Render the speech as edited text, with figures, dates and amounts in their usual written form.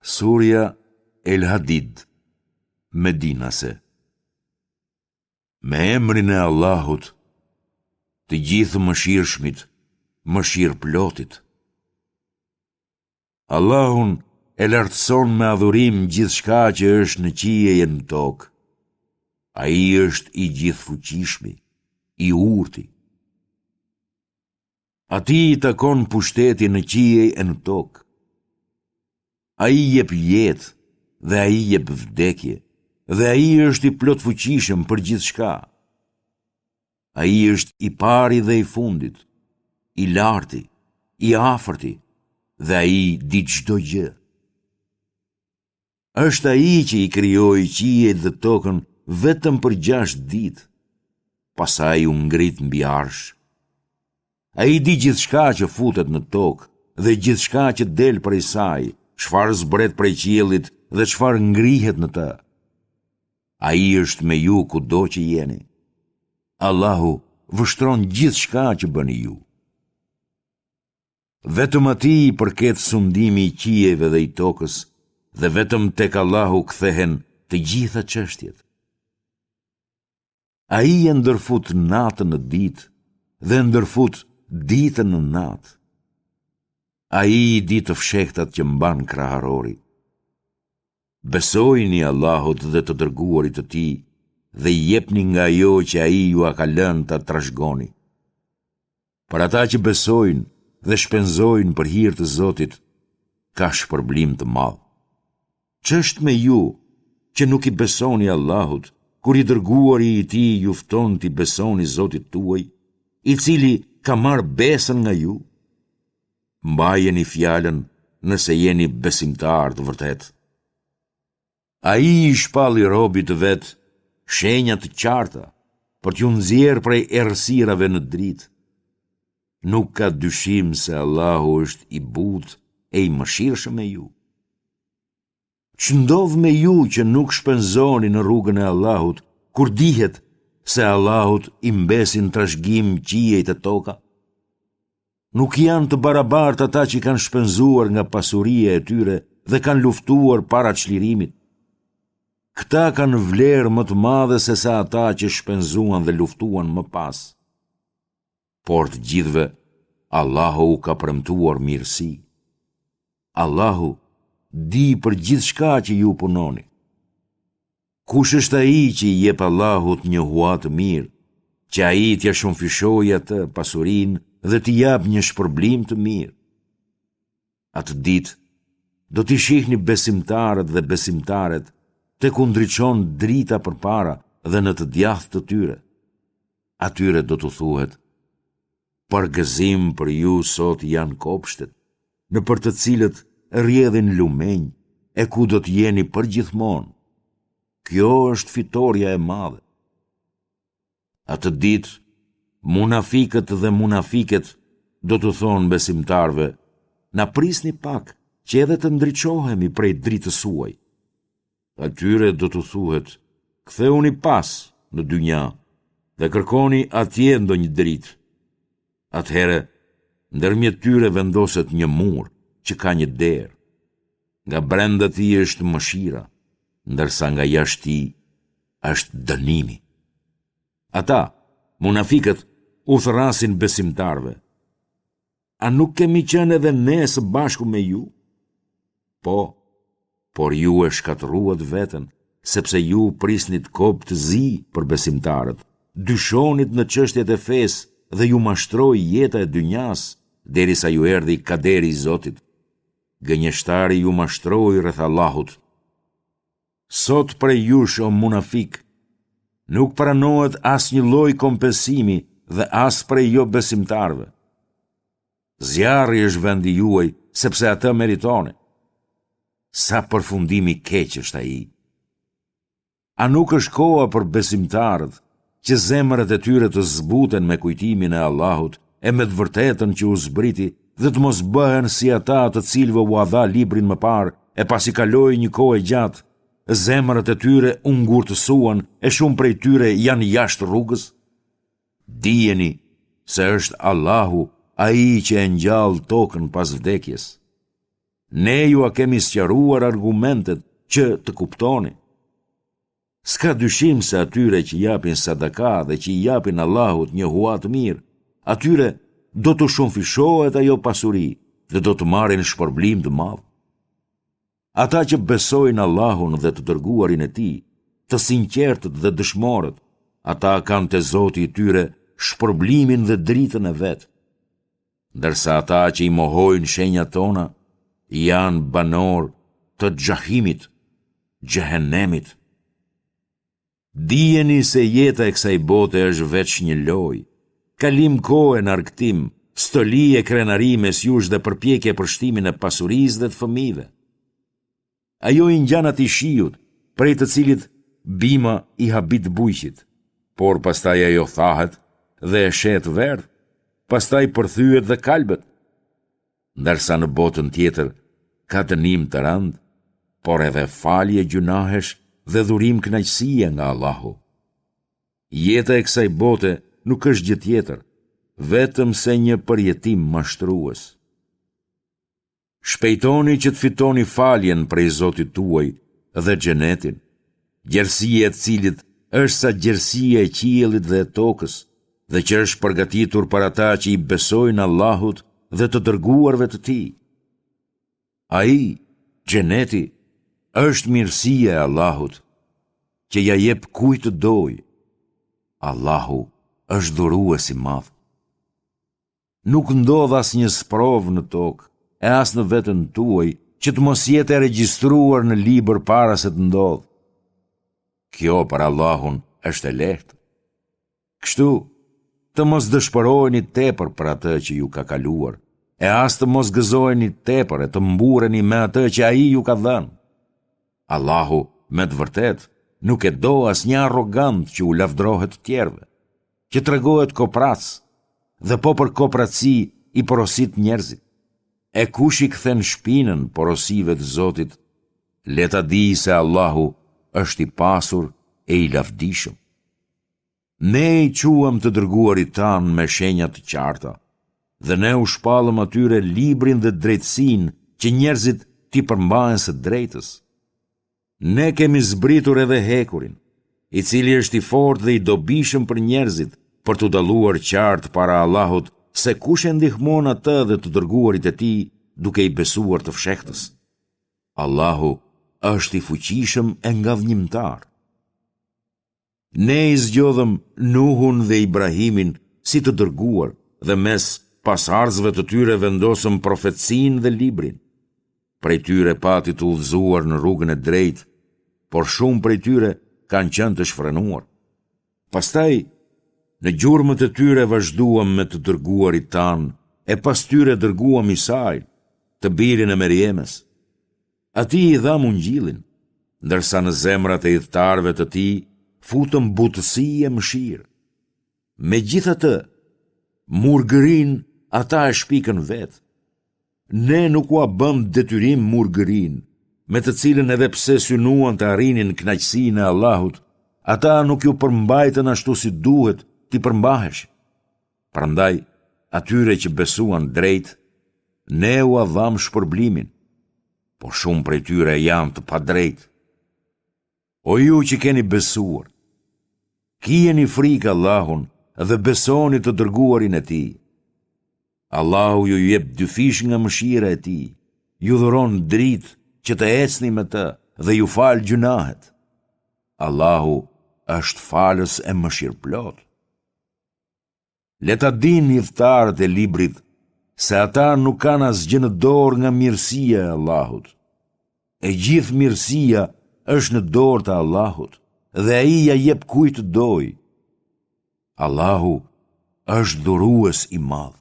Surja El Hadid, Medinase Me emrin e Allahut, të Gjithëmëshirshmit, mëshirëplotit. Allahun e lartëson me adhurim gjithçka që është në qiej e në tokë. Ai është i gjithëfuqishmi, i urti. Atij i takon pushteti në qiej e në tokë. Ai jep jetë dhe ai jep vdekje dhe ai është i plotfuqishëm për gjithçka. Ai është i pari dhe i fundit, i larti, i afërti dhe ai di çdo gjë. Është ai që i krijoi qiejt dhe tokën vetëm për gjashtë ditë, pastaj u ngrit mbi arsh. Ai di gjithçka që futet në tokë dhe gjithçka që del prej saj, çfarë zbret prej qiellit dhe çfarë ngrihet në të. Ai është me ju kudo që jeni. Allahu vështron gjithçka që bëni ju. Vetëm atij i përket sundimi i qiejve dhe i tokës dhe vetëm tek Allahu kthehen të gjitha çështjet. Ai e ndërfut natën në ditë dhe ndërfut ditën në natë. Ai i di të fshehtat që mban kraharori. Besojini Allahut dhe të dërguarit të tij dhe jepni nga ajo që ai jua ka lënë ta trashëgoni. Për ata që besojnë dhe shpenzojnë për hir të Zotit, ka shpërblim të madh. Ç'është me ju që nuk i besoni Allahut, kur i dërguari i tij ju fton t'i besoni Zotit tuaj, i cili ka marrë besën nga ju? Mbajeni fjalën nëse jeni besimtarë të vërtetë. Ai i shpalli robit të vet shenja të qarta për t'ju nxjerrë prej errësirave në dritë. Nuk ka dyshim se Allahu është i butë e i mëshirshëm me ju. Ç'ndodh me ju që nuk shpenzoni në rrugën e Allahut, kur dihet se Allahut i mbesin trashëgim qiejt e toka? Nuk janë të barabartë ata që kanë shpenzuar nga pasuria e tyre dhe kanë luftuar para çlirimit. Këta kanë vlerë më të madhe sesa ata që shpenzuan dhe luftuan më pas. Por të gjithëve, Allahu u ka premtuar mirësi. Allahu di për gjithçka që ju punoni. Kush është ai që i jep Allahut një hua të mirë, që ai t'ia shumëfishojë atë pasurinë dhe t'i japë një shpërblim të mirë? Atë ditë do t'i shihni besimtarët dhe besimtaret tek u ndriçon drita përpara dhe në të djathtë të tyre. Atyre do t'u thuhet, Përgëzim për ju sot janë kopshtet, nëpër të cilët rrjedhin lumenj e ku do të jeni përgjithmonë. Kjo është fitorja e madhe. Atë ditë, munafikët dhe munafiket do t'u thonë besimtarëve, na prisni pak që edhe të ndriçohemi prej dritës suaj. Atyre do t'u thuhet, kthehuni pas në dynja dhe kërkoni atje ndonjë dritë. Atëherë, ndërmjet tyre vendoset një mur që ka një derë. Nga brenda tij është mëshira, ndërsa nga jashtë tij është dënimi. Ata, munafikët, u thërrasin besimtarëve. A nuk kemi qenë edhe ne së bashku me ju? Po, por ju e shkatërruat veten, sepse ju prisnit kob të zi për besimtarët, dyshonit në çështjet e fesë dhe ju mashtroi jeta e dynjasë, derisa ju erdhi kaderi i Zotit. Gënjeshtari ju mashtroi rreth Allahut. Sot prej jush o munafikë, nuk pranohet asnjë lloj kompensimi dhe as prej jobesimtarëve. Zjarri është vendi juaj, sepse atë meritoni. Sa përfundim i keq është ai. A nuk është koha për besimtarët që zemrat e tyre të zbuten me kujtimin e Allahut e me të vërtetën që u zbriti dhe të mos bëhen si ata të cilëve ua dha librin më parë e pasi kaloi një kohë e gjatë, zemrat e tyre u ngurtësuan e shumë prej tyre janë jashtë rrugës? Dijeni se është Allahu ai që e ngjall tokën pas vdekjes. Ne jua kemi sqaruar argumentet që të kuptoni. S'ka dyshim se atyre që japin sadaka dhe që i japin Allahut një hua të mirë, atyre do t'u shumëfishohet ajo pasuri dhe do të marrin shpërblim të madh. Ata që besojnë Allahun dhe të dërguarin e tij, të sinqertët dhe dëshmorët, ata kanë te Zoti i tyre shpërblimin dhe dritën e vet. Ndërsa ata që i mohojnë shenjat tona, janë banorë të xhahimit, xhehenemit. Dijeni se jeta e kësaj bote është veç një lojë, kalim kohe në argëtim, stoli e krenari mes jush dhe përpjekje për shtimin e pasurisë dhe të fëmijëve. Ajo i ngjan atij shiut, prej të cilit bima i habit bujqit, por pastaj ajo thahet dhe e sheh të verdhë, pastaj përthyhet dhe kalbet. Ndërsa në botën tjetër ka dënim të rëndë, por edhe falje gjynahesh dhe dhurim kënaqësie nga Allahu. Jeta e kësaj bote nuk është gjë tjetër, vetëm se një përjetim mashtrues. Shpejtoni që të fitoni faljen prej Zotit tuaj dhe xhenetin, gjerësia e të cilit është sa gjerësia e qiellit dhe e tokës, dhe që është përgatitur për ata që i besojnë Allahut dhe të dërguarve të tij. Ai, xheneti, është mirësia e Allahut, që ia jep kujt të dojë. Allahu është dhurues i madh. Nuk ndodh asnjë sprovë në tokë e as në veten tuaj që të mos jetë e regjistruar në libër para se të ndodhë. Kjo për Allahun është e lehtë. Kështu, të mos dëshpëroheni tepër për atë që ju ka kaluar, e as të mos gëzoheni tepër e të mburreni me atë që ai ju ka dhënë. Allahu, me të vërtetë, nuk e do asnjë arrogant që u lavdërohet të tjerëve. që tregohet koprac dhe po për kopraci i porosit njerëzit. E kush i kthen shpinën porosive të Zotit, le ta dijë se Allahu është i pasur e i lavdishëm. Ne i çuam të dërguarit tanë me shenja të qarta, dhe ne u shpallëm atyre librin dhe drejtësinë që njerëzit t'i përmbahen së drejtës. Ne kemi zbritur edhe hekurin, i cili është i fortë dhe i dobishëm për njerëzit, për t'u dalluar qartë para Allahut se kush e ndihmon atë dhe të dërguarit e tij duke i besuar të fshehtës. Allahu është i fuqishëm e ngadhënjimtar. Ne i zgjodhëm Nuhun dhe Ibrahimin si të dërguar dhe mes pasardhësve të tyre vendosëm profetësinë dhe librin. Prej tyre pati të udhëzuar në rrugën e drejtë, por shumë prej tyre kanë qenë të shfrenuar. Pastaj, në gjurmët e tyre vazhduam me të dërguarit tanë, e pas tyre dërguam Isain, të birin e Merjemes. Atij i dhamë ungjillin, ndërsa në zemrat e ithtarëve të tij futëm butësi e mëshirë. Megjithatë, murgërinë ata e shpikën vetë. Ne nuk ua bëmë detyrim murgërinë, me të cilën edhe pse synuan të arrinin kënaqësinë e Allahut, ata nuk iu përmbajtën ashtu si duhet t'i përmbaheshin. Prandaj, atyre që besuan drejt, ne ua dhamë shpërblimin, por shumë prej tyre janë të padrejtë. O ju që keni besuar, kijeni frikë Allahun dhe besoni të dërguarin e tij. Allahu ju jep dyfish nga mëshira e tij, ju dhuron dritë që të ecni me të dhe ju fal gjynahet. Allahu është falës e mëshirëplotë. Le ta dinë ithtarët e librit se ata nuk kanë asgjë në dorë nga mirësia e Allahut. E gjithë mirësia është në dorë të Allahut dhe ai ia jep kujt të dojë. Allahu është dhurues i madh.